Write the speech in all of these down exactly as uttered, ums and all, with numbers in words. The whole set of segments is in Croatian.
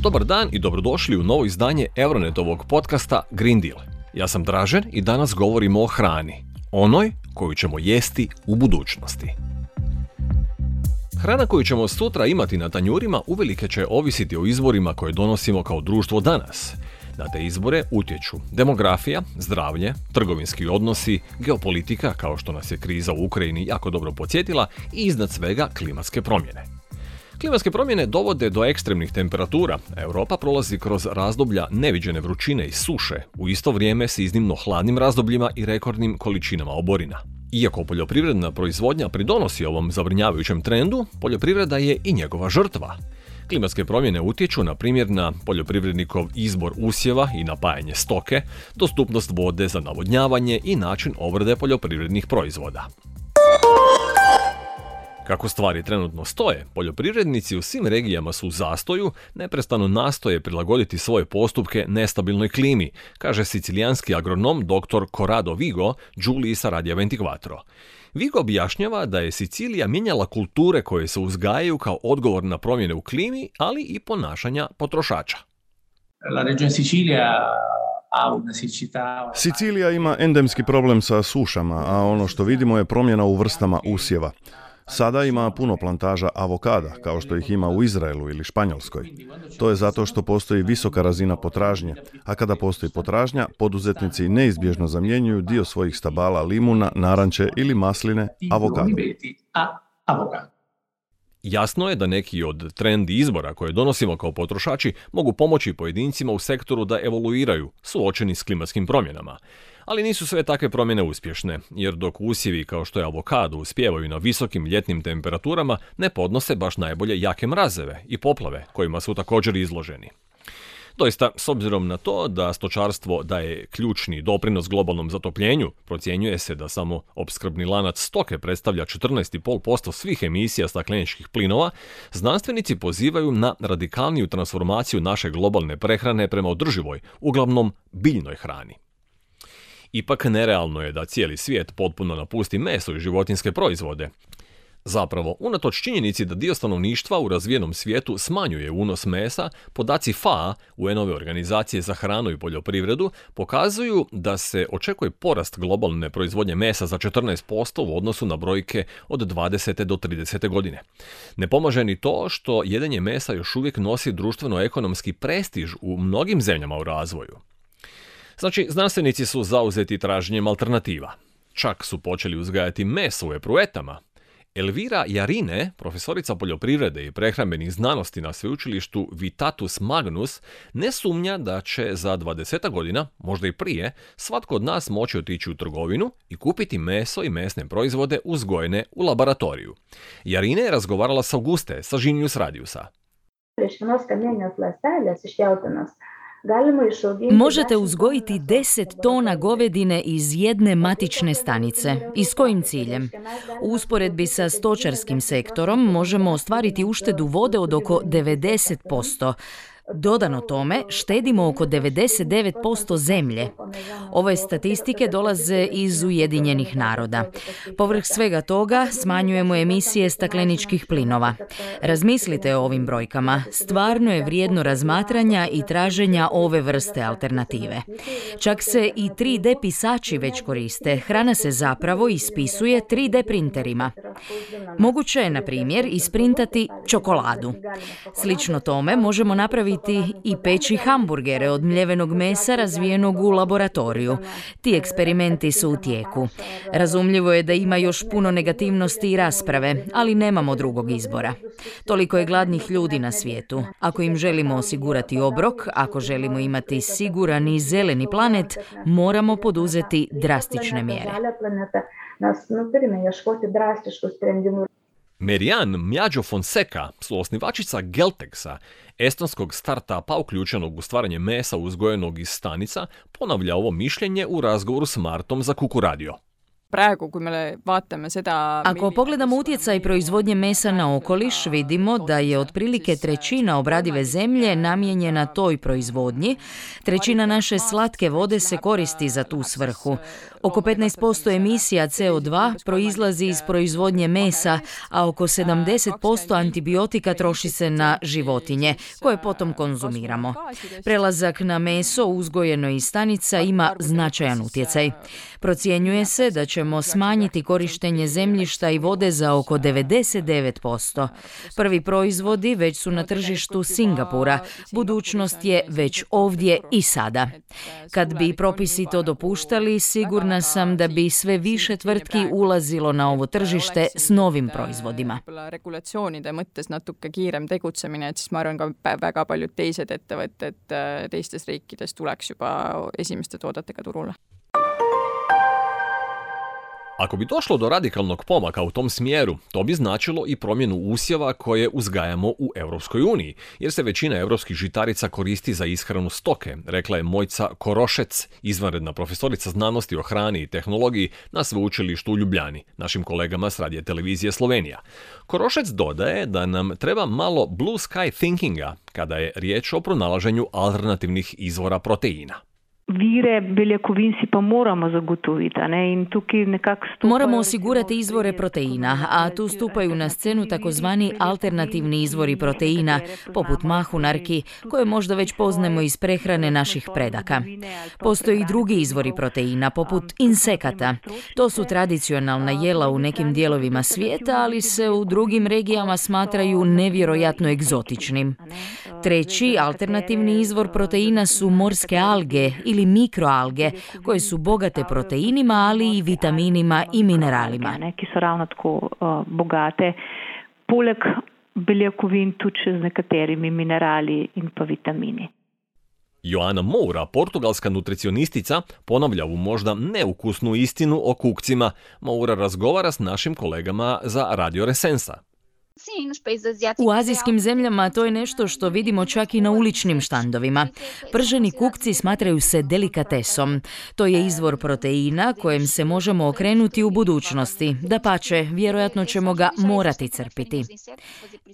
Dobar dan i dobrodošli u novo izdanje Euronetovog podcasta Green Deal. Ja sam Dražen i danas govorimo o hrani, onoj koju ćemo jesti u budućnosti. Hrana koju ćemo sutra imati na tanjurima uvelike će ovisiti o izborima koje donosimo kao društvo danas. Na te izbore utječu demografija, zdravlje, trgovinski odnosi, geopolitika, kao što nas je kriza u Ukrajini jako dobro podsjetila, i iznad svega klimatske promjene. Klimatske promjene dovode do ekstremnih temperatura. Europa prolazi kroz razdoblja neviđene vrućine i suše, u isto vrijeme s iznimno hladnim razdobljima i rekordnim količinama oborina. Iako poljoprivredna proizvodnja pridonosi ovom zabrinjavajućem trendu, poljoprivreda je i njegova žrtva. Klimatske promjene utječu na primjer na poljoprivrednikov izbor usjeva i napajanje stoke, dostupnost vode za navodnjavanje i način obrade poljoprivrednih proizvoda. Kako stvari trenutno stoje, poljoprivrednici u svim regijama su u zastoju, neprestano nastoje prilagoditi svoje postupke nestabilnoj klimi, kaže sicilijanski agronom dr. Corrado Vigo, Giulii sa Radija ventiquattro. Vigo objašnjava da je Sicilija mijenjala kulture koje se uzgajaju kao odgovor na promjene u klimi, ali i ponašanja potrošača. La regione Sicilia Sicilija ima endemski problem sa sušama, a ono što vidimo je promjena u vrstama usjeva. Sada ima puno plantaža avokada, kao što ih ima u Izraelu ili Španjolskoj. To je zato što postoji visoka razina potražnje, a kada postoji potražnja, poduzetnici neizbježno zamjenjuju dio svojih stabala limuna, naranče ili masline avokadom. Jasno je da neki od trendi izbora koje donosimo kao potrošači mogu pomoći pojedincima u sektoru da evoluiraju, suočeni s klimatskim promjenama. Ali nisu sve takve promjene uspješne, jer dok usjevi kao što je avokado uspijevaju na visokim ljetnim temperaturama, ne podnose baš najbolje jake mrazeve i poplave kojima su također izloženi. Doista, s obzirom na to da stočarstvo daje ključni doprinos globalnom zatopljenju, procjenjuje se da samo opskrbni lanac stoke predstavlja četrnaest zarez pet posto svih emisija stakleničkih plinova, znanstvenici pozivaju na radikalniju transformaciju naše globalne prehrane prema održivoj, uglavnom biljnoj hrani. Ipak nerealno je da cijeli svijet potpuno napusti meso i životinjske proizvode. Zapravo, unatoč činjenici da dio stanovništva u razvijenom svijetu smanjuje unos mesa, podaci F A O, U N-ove organizacije za hranu i poljoprivredu, pokazuju da se očekuje porast globalne proizvodnje mesa za četrnaest posto u odnosu na brojke od dvadesete do tridesete godine. Ne pomaže ni to što jedenje mesa još uvijek nosi društveno-ekonomski prestiž u mnogim zemljama u razvoju. Znači, znanstvenici su zauzeti traženjem alternativa. Čak su počeli uzgajati meso u epruetama. Elvira Jarine, profesorica poljoprivrede i prehrambenih znanosti na sveučilištu Vitatus Magnus, ne sumnja da će za dvadeset godina, možda i prije, svatko od nas moći otići u trgovinu i kupiti meso i mesne proizvode uzgojene u laboratoriju. Jarine je razgovarala s Auguste, sa Žinius Radiusa. Možete uzgojiti deset tona govedine iz jedne matične stanice. I s kojim ciljem? U usporedbi sa stočarskim sektorom možemo ostvariti uštedu vode od oko devedeset posto. Dodano tome, štedimo oko devedeset devet posto zemlje. Ove statistike dolaze iz Ujedinjenih naroda. Povrh svega toga, smanjujemo emisije stakleničkih plinova. Razmislite o ovim brojkama. Stvarno je vrijedno razmatranja i traženja ove vrste alternative. Čak se i tri D pisači već koriste. Hrana se zapravo ispisuje tri D printerima. Moguće je, na primjer, isprintati čokoladu. Slično tome možemo napraviti i peći hamburgere od mljevenog mesa razvijenog u laboratoriju. Ti eksperimenti su u tijeku. Razumljivo je da ima još puno negativnosti i rasprave, ali nemamo drugog izbora. Toliko je gladnih ljudi na svijetu. Ako im želimo osigurati obrok, ako želimo imati siguran i zeleni planet, moramo poduzeti drastične mjere. Marianne Mjađo Fonseca, suosnivačica Geltexa, estonskog startupa uključenog u stvaranje mesa uzgojenog iz stanica, ponavlja ovo mišljenje u razgovoru s Martom za Kuku Radio. Ako pogledamo utjecaj proizvodnje mesa na okoliš, vidimo da je otprilike trećina obradive zemlje namijenjena toj proizvodnji. Trećina naše slatke vode se koristi za tu svrhu. Oko petnaest posto emisija C O dva proizlazi iz proizvodnje mesa, a oko sedamdeset posto antibiotika troši se na životinje, koje potom konzumiramo. Prelazak na meso uzgojeno iz stanica ima značajan utjecaj. Procjenjuje se da ćemo smanjiti korištenje zemljišta i vode za oko devedeset devet posto. Prvi proizvodi već su na tržištu Singapura. Budućnost je već ovdje i sada. Kad bi propisi to dopuštali, sigurna sam da bi sve više tvrtki ulazilo na ovo tržište s novim proizvodima. Regulatsioonide mõttes natuke kiirem tegutsemine, et siis ma arvan ka väga paljud teised ettevõtted teistes riikides tuleks juba esimeste toodetega turule. Ako bi došlo do radikalnog pomaka u tom smjeru, to bi značilo i promjenu usjeva koje uzgajamo u Europskoj uniji, jer se većina europskih žitarica koristi za ishranu stoke, rekla je Mojca Korošec, izvanredna profesorica znanosti o hrani i tehnologiji na sveučilištu u Ljubljani, našim kolegama s radije televizije Slovenija. Korošec dodaje da nam treba malo blue sky thinkinga kada je riječ o pronalaženju alternativnih izvora proteina. Vire beljakovin si pa moramo zagotoviti, ne? In tukaj nekako stupajo... Moramo osigurati izvore proteina, a tu stupaju na scenu takozvani alternativni izvori proteina, poput mahunarki, koje možda već poznajemo iz prehrane naših predaka. Postoji i drugi izvori proteina, poput insekata. To su tradicionalna jela u nekim dijelovima svijeta, ali se u drugim regijama smatraju nevjerojatno egzotičnim. Treći alternativni izvor proteina su morske alge ili mikroalge, koje su bogate proteinima, ali i vitaminima i mineralima. Ki so ravno tako bogate, poleg beljakovin tudi z nekaterimi minerali in pa vitamini. Joana Moura, portugalska nutricionistica, ponavlja ovu možda neukusnu istinu o kukcima. Moura razgovara s našim kolegama za Radio Resensa. U azijskim zemljama to je nešto što vidimo čak i na uličnim štandovima. Prženi kukci smatraju se delikatesom. To je izvor proteina kojem se možemo okrenuti u budućnosti. Dapače, vjerojatno ćemo ga morati crpiti.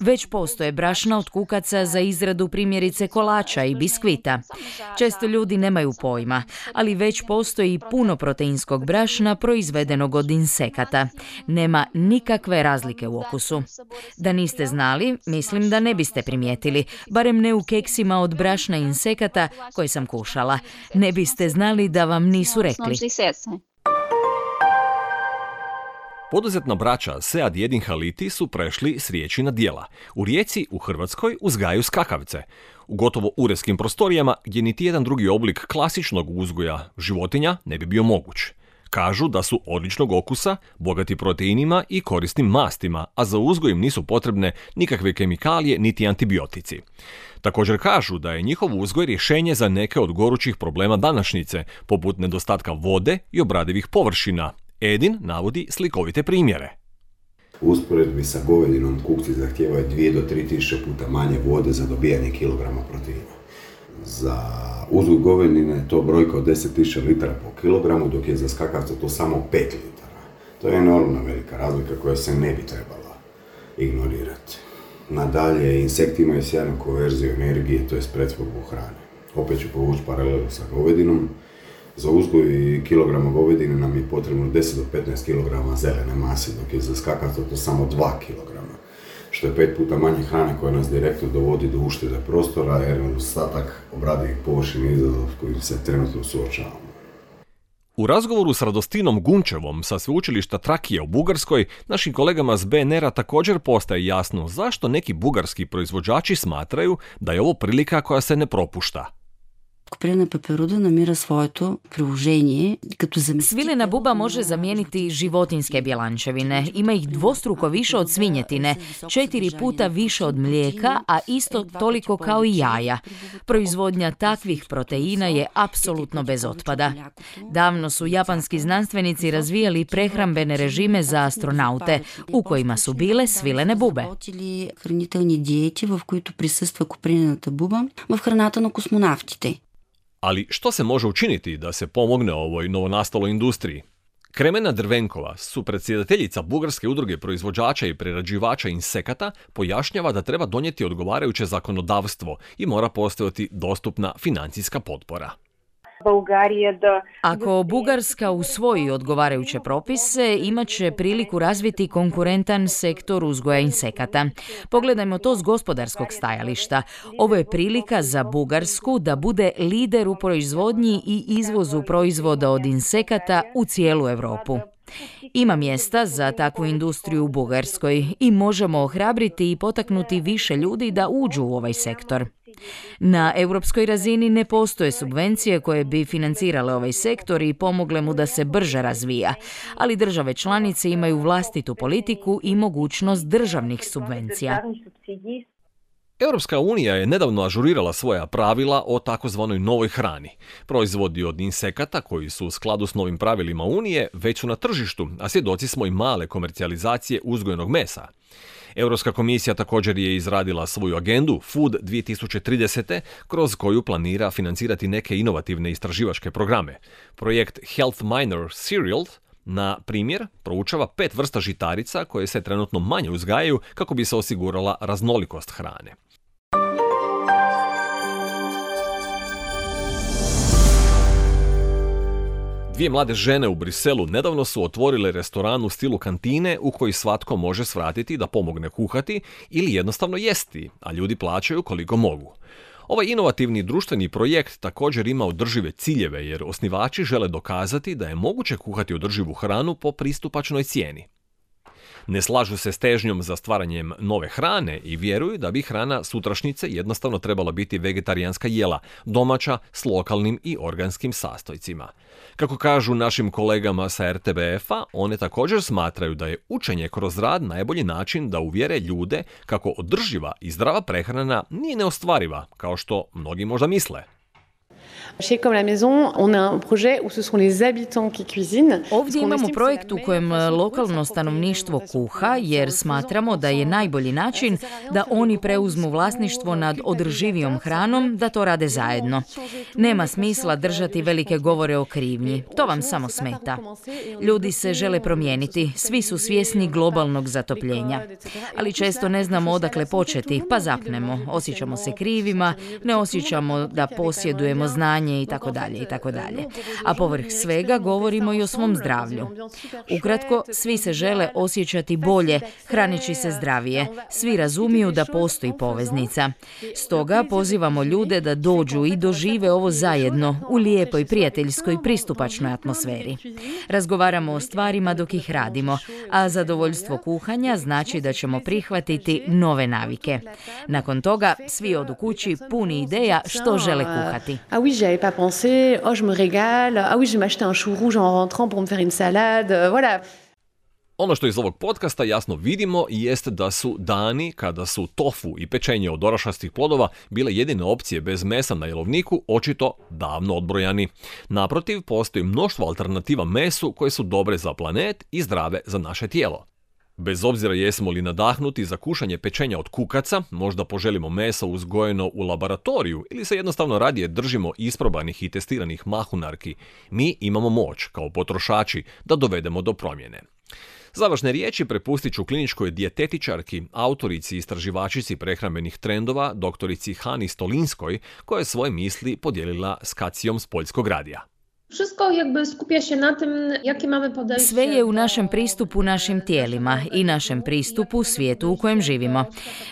Već postoje brašna od kukaca za izradu primjerice kolača i biskvita. Često ljudi nemaju pojma, ali već postoji puno proteinskog brašna proizvedenog od insekata. Nema nikakve razlike u okusu. Da niste znali, mislim da ne biste primijetili, barem ne u keksima od brašna insekata koje sam kušala. Ne biste znali da vam nisu rekli. Poduzetna braća Sead Jedin Haliti su prešli s riječi na djela. U Rijeci, u Hrvatskoj, uzgajaju skakavce. U gotovo uredskim prostorijama gdje niti jedan drugi oblik klasičnog uzgoja životinja ne bi bio moguć. Kažu da su odličnog okusa, bogati proteinima i korisnim mastima, a za uzgoj im nisu potrebne nikakve kemikalije niti antibiotici. Također kažu da je njihov uzgoj rješenje za neke od gorućih problema današnjice, poput nedostatka vode i obradivih površina. Edin navodi slikovite primjere. U usporedbi sa govedinom kukci zahtijevaju dvije do tri tisuće puta manje vode za dobijanje kilograma proteina. Za uzgoj govedine je to brojka od deset tisuća litara po kilogramu, dok je za skakavca to samo pet litara. To je enormna velika razlika koja se ne bi trebala ignorirati. Nadalje, insekti imaju sjajnu konverziju energije, to je pretvorbu hrane. Opet ću povući paralelu sa govedinom. Za uzgoj kilograma govedine nam je potrebno deset do petnaest kilograma zelene mase, dok je za skakavca to samo dva kilograma. Što je pet puta manje hrane koja nas direktno dovodi do uštede prostora, jer je ostatak obradivih površina izazov s kojim se trenutno suočavamo. U razgovoru s Radostinom Gunčevom sa sveučilišta Trakija u Bugarskoj, našim kolegama s B N R-a također postaje jasno zašto neki bugarski proizvođači smatraju da je ovo prilika koja se ne propušta. Kopirana peperuda namira svoето приложение като заместител. Svilena buba može zamijeniti životinjske bjelančevine. Ima ih dvostruko više od svinjetine, četiri puta više od mlijeka, a isto toliko kao i jaja. Proizvodnja takvih proteina je apsolutno bez otpada. Davno su japanski znanstvenici razvijali prehrambene režime za astronaute, u kojima su bile svilene bube. Хранителни диети, в които присъства копринената буба в храната на космонавтите. Ali što se može učiniti da se pomogne ovoj novonastaloj industriji? Kremena Drvenkova, supredsjedateljica Bugarske udruge proizvođača i prerađivača insekata, pojašnjava da treba donijeti odgovarajuće zakonodavstvo i mora postojati dostupna financijska potpora. Ako Bugarska usvoji odgovarajuće propise, imat će priliku razviti konkurentan sektor uzgoja insekata. Pogledajmo to s gospodarskog stajališta. Ovo je prilika za Bugarsku da bude lider u proizvodnji i izvozu proizvoda od insekata u cijelu Europu. Ima mjesta za takvu industriju u Bugarskoj i možemo ohrabriti i potaknuti više ljudi da uđu u ovaj sektor. Na europskoj razini ne postoje subvencije koje bi financirale ovaj sektor i pomogle mu da se brže razvija, ali države članice imaju vlastitu politiku i mogućnost državnih subvencija. Europska unija je nedavno ažurirala svoja pravila o takozvanoj novoj hrani. Proizvodi od insekata koji su u skladu s novim pravilima Unije već su na tržištu, a svjedoci smo i male komercijalizacije uzgojenog mesa. Europska komisija također je izradila svoju agendu Food dvije tisuće trideset. kroz koju planira financirati neke inovativne istraživačke programe. Projekt Health Minor Cereal, na primjer, proučava pet vrsta žitarica koje se trenutno manje uzgajaju kako bi se osigurala raznolikost hrane. Dvije mlade žene u Briselu nedavno su otvorile restoran u stilu kantine u koji svatko može svratiti da pomogne kuhati ili jednostavno jesti, a ljudi plaćaju koliko mogu. Ovaj inovativni društveni projekt također ima održive ciljeve jer osnivači žele dokazati da je moguće kuhati održivu hranu po pristupačnoj cijeni. Ne slažu se s težnjom za stvaranjem nove hrane i vjeruju da bi hrana sutrašnjice jednostavno trebala biti vegetarijanska jela, domaća s lokalnim i organskim sastojcima. Kako kažu našim kolegama sa er te be efa, one također smatraju da je učenje kroz rad najbolji način da uvjere ljude kako održiva i zdrava prehrana nije neostvariva, kao što mnogi možda misle. Ovdje imamo projekt u kojem lokalno stanovništvo kuha jer smatramo da je najbolji način da oni preuzmu vlasništvo nad održivijom hranom, da to rade zajedno. Nema smisla držati velike govore o krivnji, to vam samo smeta. Ljudi se žele promijeniti, svi su svjesni globalnog zatopljenja. Ali često ne znamo odakle početi, pa zapnemo, osjećamo se krivima, ne osjećamo da posjedujemo znanje i tako dalje i tako dalje. A povrh svega govorimo i o svom zdravlju. Ukratko, svi se žele osjećati bolje, hraneći se zdravije. Svi razumiju da postoji poveznica. Stoga pozivamo ljude da dođu i dožive ovo zajedno u lijepoj, prijateljskoj, pristupačnoj atmosferi. Razgovaramo o stvarima dok ih radimo, a zadovoljstvo kuhanja znači da ćemo prihvatiti nove navike. Nakon toga svi odu kući puni ideja što žele kuhati. Pas pensé, oh je me régale, ah oui je vais m'acheter un chou rouge en rentrant pour me faire une salade, voilà. Ono što iz ovog podcasta jasno vidimo jest da su dani kada su tofu i pečenje od orašastih plodova bile jedine opcije bez mesa na jelovniku očito davno odbrojani. Naprotiv, postoji mnoštvo alternativa mesu koje su dobre za planet i zdrave za naše tijelo. Bez obzira jesmo li nadahnuti za kušanje pečenja od kukaca, možda poželimo meso uzgojeno u laboratoriju ili se jednostavno radije držimo isprobanih i testiranih mahunarki, mi imamo moć, kao potrošači, da dovedemo do promjene. Završne riječi prepustit ću kliničkoj dijetetičarki, autorici i istraživačici prehrambenih trendova, doktorici Hani Stolinskoj, koja je svoje misli podijelila s Kacijom s Poljskog radija. Sve je u našem pristupu našim tijelima i našem pristupu svijetu u kojem živimo.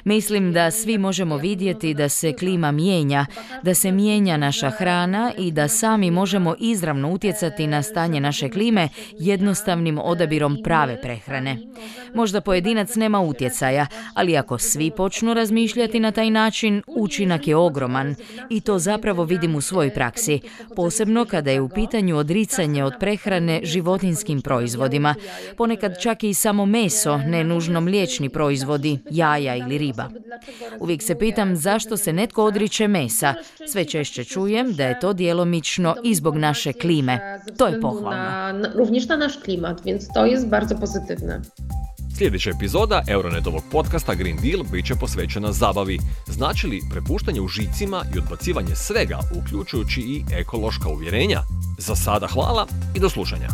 Mislim da svi možemo vidjeti da se klima mijenja, da se mijenja naša hrana i da sami možemo izravno utjecati na stanje naše klime jednostavnim odabirom prave prehrane. Možda pojedinac nema utjecaja, ali ako svi počnu razmišljati na taj način, učinak je ogroman i to zapravo vidim u svojoj praksi, posebno kada je u pitanju odricanje od prehrane životinjskim proizvodima, ponekad čak i samo meso, ne nužno mliječni proizvodi, jaja ili riba. Uvijek se pitam zašto se netko odriče mesa. Sve češće čujem da je to djelomično i zbog naše klime. To je pohvalno. Również na naš klimat, więc to jest bardzo pozytywne. Sljedeća epizoda Euronetovog podcasta Green Deal bit će posvećena zabavi. Znači li prepuštanje u žicima i odbacivanje svega, uključujući i ekološka uvjerenja? Za sada hvala i do slušanja.